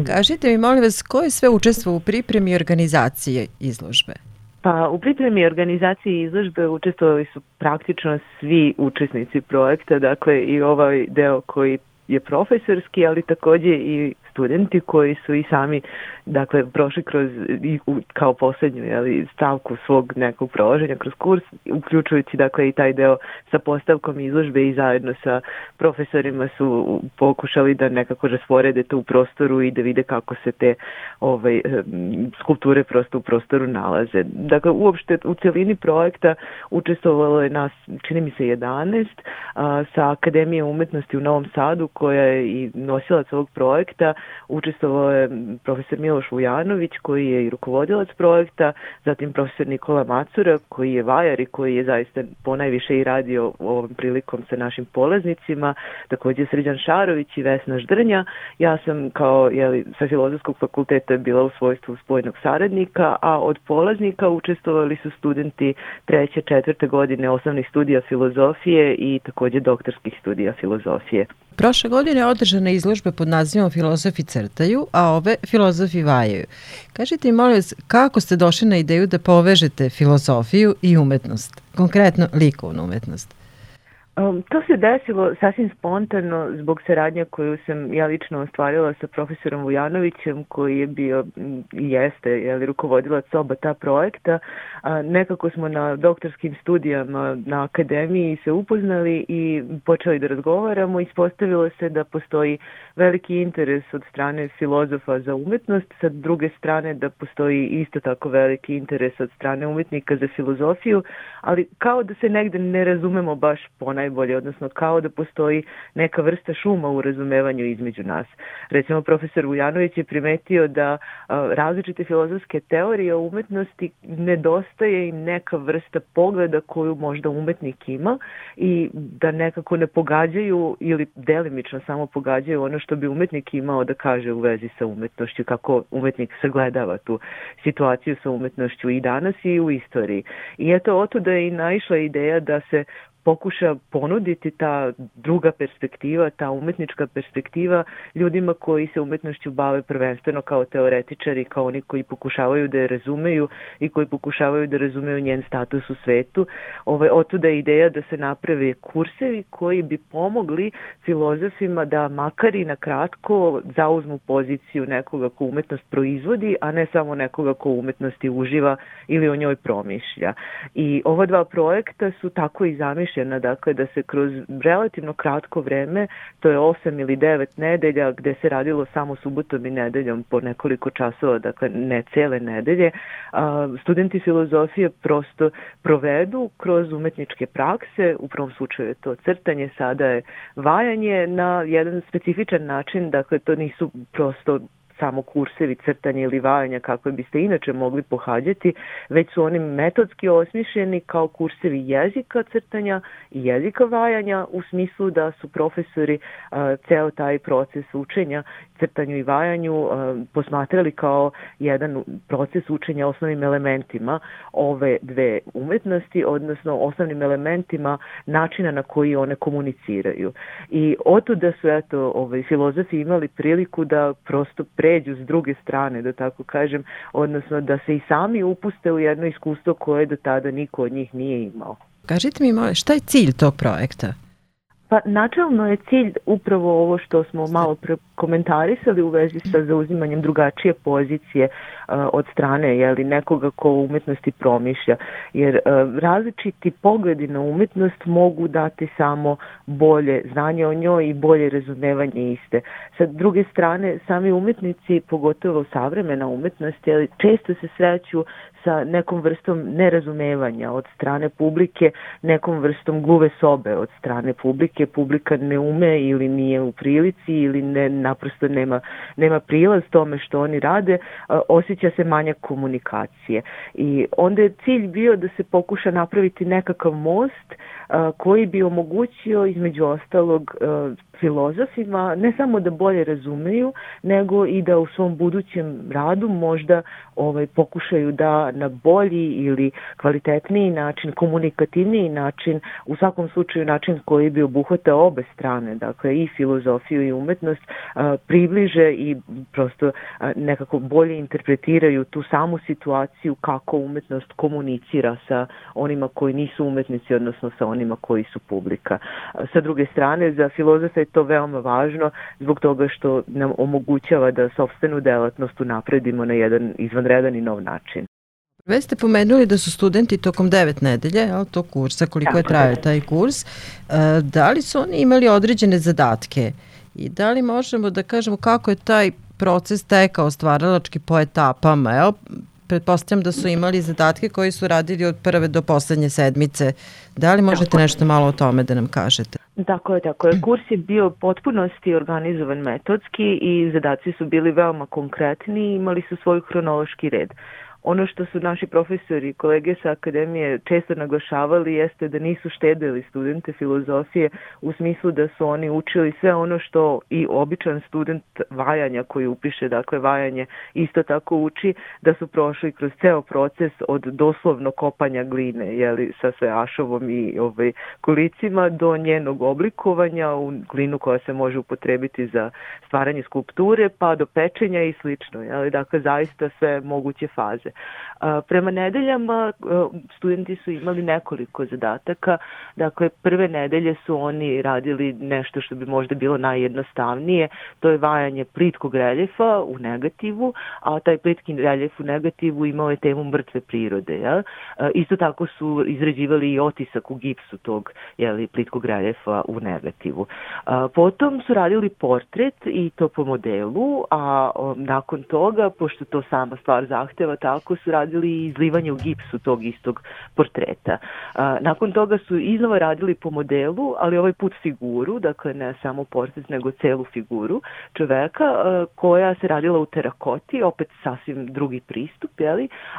Kažite mi, molim vas, ko je sve učestvovao u pripremi i organizaciji izložbe? Pa u pripremi i organizaciji izložbe učestvovali su praktično svi učesnici projekta, dakle i ovaj deo koji je profesorski, ali takođe i studenti koji su i sami prošli kroz kao poslednju stavku svog nekog prolaženja kroz kurs, uključujući i taj deo sa postavkom izložbe i zajedno sa profesorima su pokušali da nekako rasporede to u prostoru i da vide kako se te skulpture prosto u prostoru nalaze. Dakle, uopšte u celini projekta učestvovalo je nas, čini mi se 11, sa Akademije umetnosti u Novom Sadu, koja je i nosilac ovog projekta. Učestvovao je profesor Miloš Vujanović, koji je i rukovodilac projekta, zatim profesor Nikola Macura, koji je vajar i koji je zaista ponajviše i radio ovom prilikom sa našim polaznicima, takođe Srđan Šarović i Vesna Ždrnja. Ja sam sa Filozofskog fakulteta bila u svojstvu spoljnog saradnika, a od polaznika učestvovali su studenti 3. 4. godine osnovnih studija filozofije i takođe doktorskih studija filozofije. Prošle godine je održana izložba pod nazivom Filozofi crtaju, a ove filozofi vajaju. Kažite mi, molim vas, kako ste došli na ideju da povežete filozofiju i umetnost, konkretno likovnu umetnost? To se desilo sasvim spontano zbog saradnje koju sam ja lično ostvarila sa profesorom Vujanovićem, koji je bio i jeste rukovodilac oba ta projekta. Nekako smo na doktorskim studijama na akademiji se upoznali i počeli da razgovaramo. Ispostavilo se da postoji veliki interes od strane filozofa za umetnost, sa druge strane da postoji isto tako veliki interes od strane umetnika za filozofiju, ali kao da se negde ne razumemo baš ponajbolje, odnosno kao da postoji neka vrsta šuma u razumevanju između nas. Recimo, profesor Vujanović je primetio da različite filozofske teorije o umetnosti nedostaje im neka vrsta pogleda koju možda umetnik ima i da nekako ne pogađaju ili delimično samo pogađaju ono što bi umetnik imao da kaže u vezi sa umetnošću, kako umetnik sagledava tu situaciju sa umetnošću i danas i u istoriji. I eto, otuda je i naišla ideja da se pokuša ponuditi ta druga perspektiva, ta umetnička perspektiva ljudima koji se umetnošću bave prvenstveno kao teoretičari, kao oni koji pokušavaju da je razumeju i koji pokušavaju da razumeju njen status u svetu. Otuda je ideja da se naprave kursevi koji bi pomogli filozofima da makar i na kratko zauzmu poziciju nekoga ko umetnost proizvodi, a ne samo nekoga ko umetnosti uživa ili o njoj promišlja. I ova dva projekta su tako i zamišljena, dakle da se kroz relativno kratko vreme, to je 8 ili 9 nedelja gde se radilo samo subotom i nedeljom po nekoliko časova, dakle ne cele nedelje, studenti filozofije prosto provedu kroz umetničke prakse, u prvom slučaju je to crtanje, sada je vajanje na jedan specifičan način, dakle to nisu prosto samo kursevi crtanja ili vajanja kakve biste inače mogli pohađati, već su oni metodski osmišljeni kao kursevi jezika crtanja i jezika vajanja, u smislu da su profesori ceo taj proces učenja crtanju i vajanju posmatrali kao jedan proces učenja osnovnim elementima ove dve umetnosti, odnosno osnovnim elementima načina na koji one komuniciraju. I otuda su filozofi imali priliku da prosto pređu s druge strane, da tako kažem, odnosno da se i sami upuste u jedno iskustvo koje do tada niko od njih nije imao. Kažite mi, šta je cilj tog projekta? Pa načelno je cilj upravo ovo što smo malo komentarisali u vezi sa zauzimanjem drugačije pozicije od strane nekoga ko u umetnosti promišlja. Jer različiti pogledi na umetnost mogu dati samo bolje znanje o njoj i bolje razumevanje iste. Sa druge strane, sami umetnici, pogotovo savremena umetnost, često se sreću sa nekom vrstom nerazumevanja od strane publike, nekom vrstom gluve sobe od strane publike. Publika ne ume ili nije u prilici ili naprosto nema prilaz tome što oni rade, osjeća se manjak komunikacije. I onda je cilj bio da se pokuša napraviti nekakav most koji bi omogućio između ostalog filozofima ne samo da bolje razumeju, nego i da u svom budućem radu možda pokušaju da na bolji ili kvalitetniji način, komunikativniji način, u svakom slučaju način koji bi obuhvatao obe strane, dakle i filozofiju i umetnost, približe i prosto nekako bolje interpretiraju tu samu situaciju kako umetnost komunicira sa onima koji nisu umetnici, odnosno sa onima koji su publika. Sa druge strane, za filozofa je to veoma važno zbog toga što nam omogućava da sopstvenu delatnost unapredimo na jedan izvanredan i nov način. Već ste pomenuli da su studenti tokom 9 nedelje tog kursa, koliko je trajao taj kurs, da li su oni imali određene zadatke i da li možemo da kažemo kako je taj proces tekao stvaralački po etapama? Evo, pretpostavljam da su imali zadatke koji su radili od prve do poslednje sedmice. Da li možete nešto malo o tome da nam kažete? Tako je. Kurs je bio potpunosti organizovan metodski i zadaci su bili veoma konkretni i imali su svoj hronološki red. Ono što su naši profesori i kolege sa akademije često naglašavali jeste da nisu štedili studente filozofije u smislu da su oni učili sve ono što i običan student vajanja koji upiše, dakle vajanje isto tako uči, da su prošli kroz ceo proces od doslovno kopanja gline, sa sve ašovom i kolicima do njenog oblikovanja u glinu koja se može upotrebiti za stvaranje skulpture pa do pečenja i slično. Dakle, zaista sve moguće faze. Prema nedeljama studenti su imali nekoliko zadataka. Dakle, prve nedelje su oni radili nešto što bi možda bilo najjednostavnije, to je vajanje plitkog reljefa u negativu, a taj plitki reljef u negativu imao je temu mrtve prirode. Isto tako su izrađivali i otisak u gipsu tog plitkog reljefa u negativu. Potom su radili portret i to po modelu, a nakon toga, pošto to sama stvar zahteva, tako su radili i izlivanje u gipsu tog istog portreta. Nakon toga su iznova radili po modelu, ali ovaj put figuru, dakle ne samo portret, nego celu figuru čoveka koja se radila u terakoti, opet sasvim drugi pristup,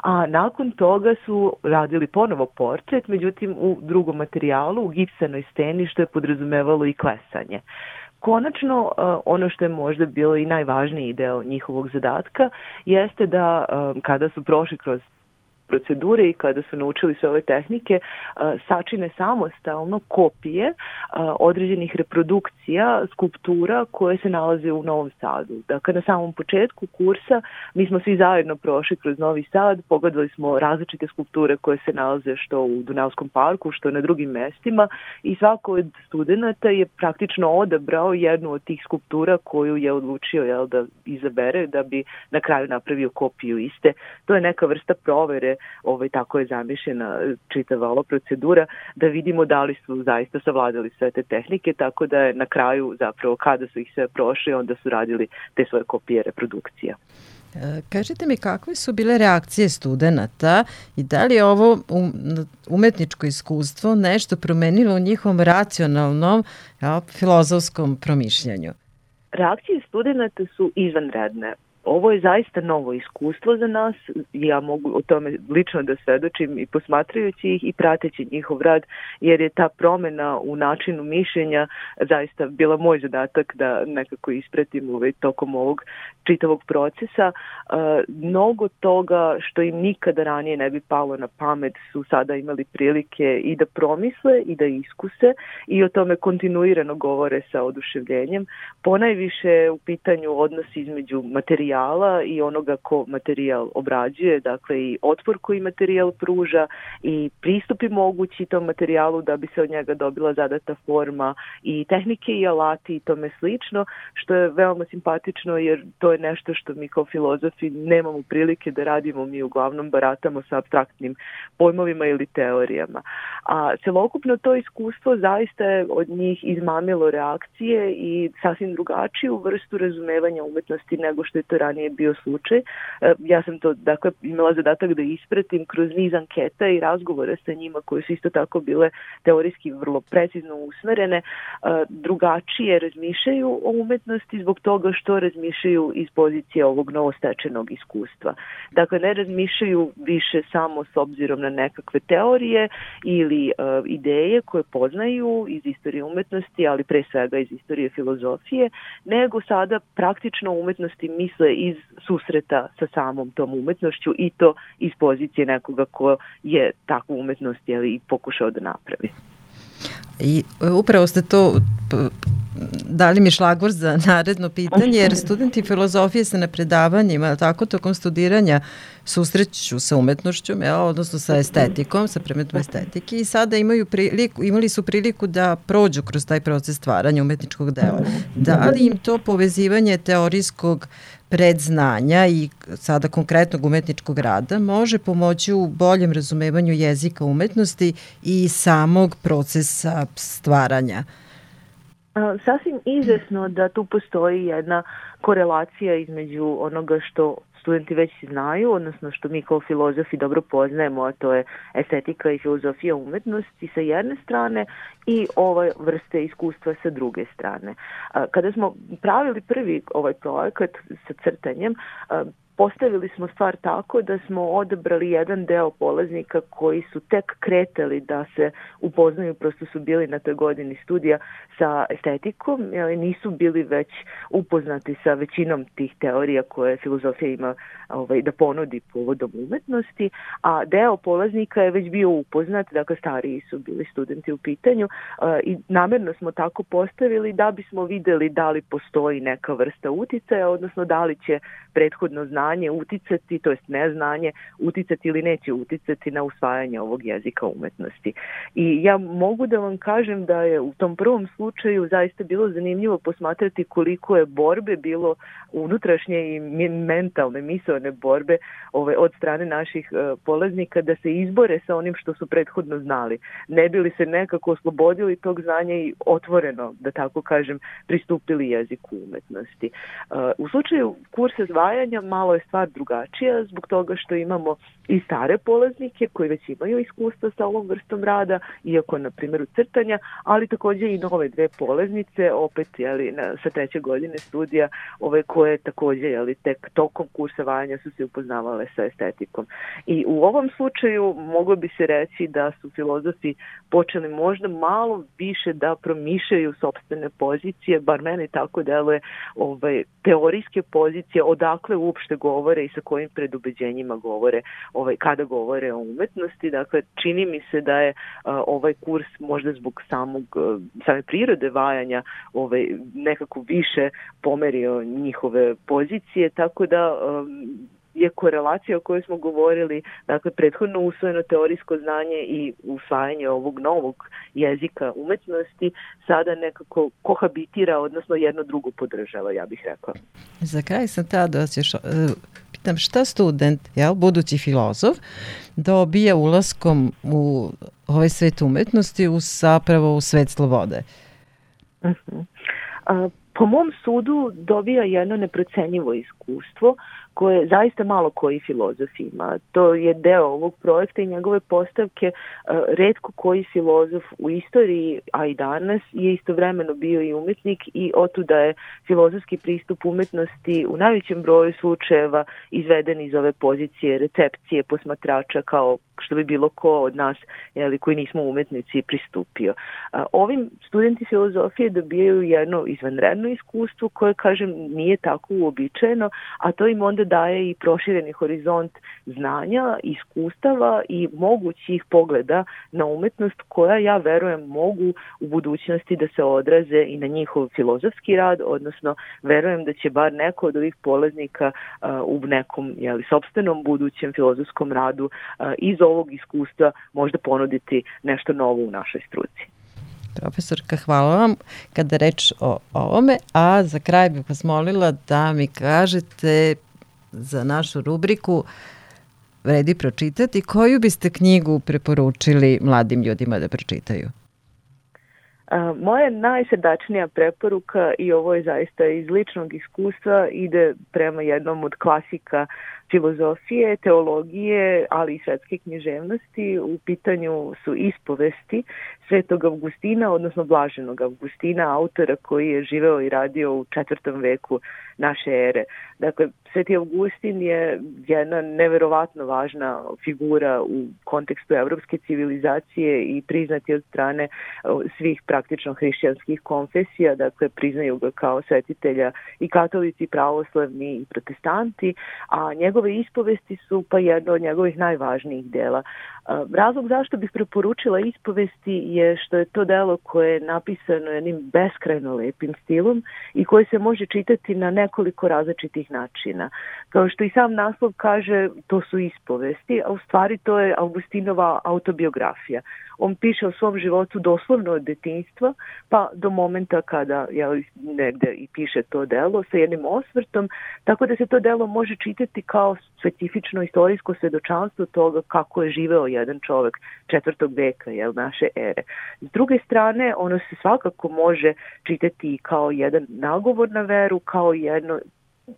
a nakon toga su radili ponovo portret, međutim u drugom materijalu, u gipsanoj steni, što je podrazumevalo i klesanje. Konačno, ono što je možda bilo i najvažniji deo njihovog zadatka jeste da kada su prošli kroz procedure i kada su naučili sve ove tehnike, sačine samostalno kopije određenih reprodukcija, skulptura koje se nalaze u Novom Sadu. Dakle, na samom početku kursa mi smo svi zajedno prošli kroz Novi Sad, pogledali smo različite skulpture koje se nalaze što u Dunavskom parku, što na drugim mestima i svako od studenta je praktično odabrao jednu od tih skulptura koju je odlučio da izabere da bi na kraju napravio kopiju iste. To je neka vrsta provere, tako je zamišljena čitava ova procedura, da vidimo da li su zaista savladali sve te tehnike, tako da je na kraju zapravo kada su ih sve prošli, onda su radili te svoje kopije reprodukcija. Kažite mi kakve su bile reakcije studenata i da li je ovo umetničko iskustvo nešto promenilo u njihovom racionalnom filozofskom promišljanju? Reakcije studenata su izvanredne. Ovo je zaista novo iskustvo za nas, ja mogu o tome lično da svedočim i posmatrajući ih i prateći njihov rad, jer je ta promena u načinu mišljenja zaista bila moj zadatak da nekako ispratim tokom ovog čitavog procesa. Mnogo toga što im nikada ranije ne bi palo na pamet su sada imali prilike i da promisle i da iskuse i o tome kontinuirano govore sa oduševljenjem. Ponajviše u pitanju odnos između materijala i onoga ko materijal obrađuje, dakle i otpor koji materijal pruža i pristupi mogući tom materijalu da bi se od njega dobila zadata forma i tehnike i alati i tome slično, što je veoma simpatično jer to je nešto što mi kao filozofi nemamo prilike da radimo, mi uglavnom baratamo sa apstraktnim pojmovima ili teorijama. A celokupno to iskustvo zaista je od njih izmamilo reakcije i sasvim drugačiju vrstu razumevanja umetnosti nego što je to ranije bio slučaj. Ja sam to imala zadatak da ispratim kroz niz anketa i razgovore sa njima koje su isto tako bile teorijski vrlo precizno usmerene. Drugačije razmišljaju o umetnosti zbog toga što razmišljaju iz pozicije ovog novostečenog iskustva. Dakle, ne razmišljaju više samo s obzirom na nekakve teorije ili ideje koje poznaju iz istorije umetnosti, ali pre svega iz istorije filozofije, nego sada praktično umetnosti misle iz susreta sa samom tom umetnošću i to iz pozicije nekoga ko je takvu umetnost i pokušao da napravi. I upravo ste to dali mi šlagvor za naredno pitanje, jer studenti filozofije se na predavanjima, tako tokom studiranja susreću sa umetnošću, odnosno sa estetikom, sa predmetom estetike i sada imali su priliku da prođu kroz taj proces stvaranja umetničkog dela. Da li im to povezivanje teorijskog predznanja i sada konkretnog umetničkog rada može pomoći u boljem razumevanju jezika umetnosti i samog procesa stvaranja? Sasvim izvesno da tu postoji jedna korelacija između onoga što studenti već znaju, odnosno što mi kao filozofi dobro poznajemo, a to je estetika i filozofija umetnosti sa jedne strane i ove vrste iskustva sa druge strane. Kada smo pravili prvi ovaj projekat sa crtanjem, postavili smo stvar tako da smo odabrali jedan deo polaznika koji su tek kretali da se upoznaju, prosto su bili na toj godini studija sa estetikom, nisu bili već upoznati sa većinom tih teorija koje filozofija ima da ponudi povodom umetnosti, a deo polaznika je već bio upoznat, dakle stariji su bili studenti u pitanju i namerno smo tako postavili da bismo videli da li postoji neka vrsta uticaja, odnosno da li će prethodno znanje uticati, to jest neznanje, uticati ili neće uticati na usvajanje ovog jezika umetnosti. I ja mogu da vam kažem da je u tom prvom slučaju zaista bilo zanimljivo posmatrati koliko je borbe bilo unutrašnje i mentalne, misaone borbe od strane naših polaznika da se izbore sa onim što su prethodno znali. Ne bi li se nekako oslobodili tog znanja i otvoreno, da tako kažem, pristupili jeziku umetnosti. U slučaju kursa zvajanja malo je stvar drugačija zbog toga što imamo i stare polaznike koji već imaju iskustva sa ovom vrstom rada, iako na primjeru crtanja, ali također i nove dve polaznice, opet sa treće godine studija, koje također tek tokom kursa vajanja su se upoznavale sa estetikom. I u ovom slučaju moglo bi se reći da su filozofi počeli možda malo više da promišljaju sopstvene pozicije, bar meni tako deluje, teorijske pozicije, odakle uopšte govore i sa kojim predubeđenjima govore kada govore o umetnosti. Dakle, čini mi se da je ovaj kurs možda zbog same prirode vajanja nekako više pomerio njihove pozicije, tako da je korelacija o kojoj smo govorili, dakle, prethodno usvojeno teorijsko znanje i usvajanje ovog novog jezika umetnosti sada nekako kohabitira, odnosno jedno drugo podržava, ja bih rekla. Za kraj sam tada pitam šta student, budući filozof, dobija ulaskom u ovaj svet umetnosti, zapravo u svet slobode? Po mom sudu dobija jedno neprocenjivo iskustvo koje zaista malo koji filozof ima. To je deo ovog projekta i njegove postavke. Retko koji filozof u istoriji, a i danas, je istovremeno bio i umetnik i otuda je filozofski pristup umetnosti u najvećem broju slučajeva izveden iz ove pozicije recepcije posmatrača, kao što bi bilo ko od nas koji nismo umetnici pristupio. Ovim studenti filozofije dobijaju jedno izvanredno iskustvo koje, kažem, nije tako uobičajeno, a to im onda daje i prošireni horizont znanja, iskustava i mogućih pogleda na umetnost koja, ja verujem, mogu u budućnosti da se odraze i na njihov filozofski rad, odnosno verujem da će bar neko od ovih polaznika u nekom sopstvenom budućem filozofskom radu iz ovog iskustva možda ponuditi nešto novo u našoj struci. Profesorka, hvala vam kada reč o ovome, a za kraj bih vas molila da mi kažete za našu rubriku vredi pročitati, koju biste knjigu preporučili mladim ljudima da pročitaju? Moja najsrdačnija preporuka, i ovo je zaista iz ličnog iskustva, ide prema jednom od klasika filozofije, teologije, ali i svetske književnosti. U pitanju su ispovesti Svetog Avgustina, odnosno Blaženog Avgustina, autora koji je živeo i radio u 4. veku naše ere. Dakle, Sveti Augustin je jedna neverovatno važna figura u kontekstu evropske civilizacije i priznati od strane svih praktično hrišćanskih konfesija, dakle priznaju ga kao svetitelja i katolici, pravoslavni i protestanti, a njegove ispovesti su pa jedno od njegovih najvažnijih dela. Razlog zašto bih preporučila ispovesti je što je to delo koje je napisano jednim beskrajno lepim stilom i koje se može čitati na nekoliko različitih načina. Kao što i sam naslov kaže, to su ispovesti, a u stvari to je Augustinova autobiografija. On piše o svom životu doslovno od detinjstva pa do momenta kada negde i piše to delo sa jednim osvrtom, tako da se to delo može čitati kao specifično istorijsko svedočanstvo toga kako je živeo jedan čovek 4. veka naše ere. S druge strane, ono se svakako može čitati kao jedan nagovor na veru, kao jedno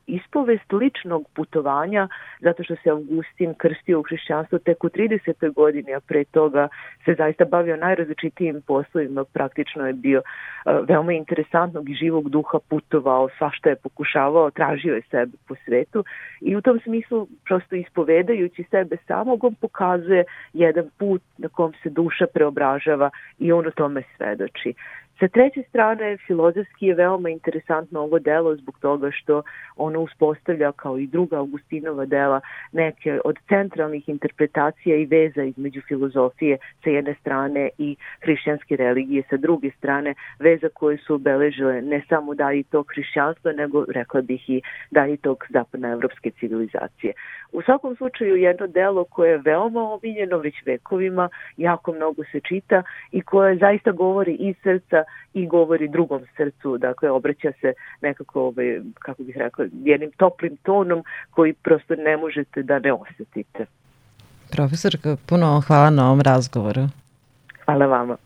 ispovest ličnog putovanja, zato što se Augustin krstio u hrišćanstvo tek u 30. godini, a pre toga se zaista bavio najrazličitijim poslovima, praktično je bio veoma interesantnog i živog duha, putovao, svašta je pokušavao, tražio je sebe po svetu i u tom smislu prosto ispovedajući sebe samog on pokazuje jedan put na kom se duša preobražava i on o tome svedoči. Sa treće strane, filozofski je veoma interesantno ovo delo zbog toga što ono uspostavlja, kao i druga Augustinova dela, neke od centralnih interpretacija i veza između filozofije sa jedne strane i hrišćanske religije sa druge strane, veza koje su obeležile ne samo dalji tog hrišćanstva, nego, rekla bih, i dalji tog zapadnoevropske civilizacije. U svakom slučaju jedno delo koje je veoma omiljeno već vekovima, jako mnogo se čita i koje zaista govori iz srca i govori drugom srcu, dakle obraća se nekako, kako bih rekla, jednim toplim tonom koji prosto ne možete da ne osetite. Profesorka, puno hvala na ovom razgovoru. Hvala vama.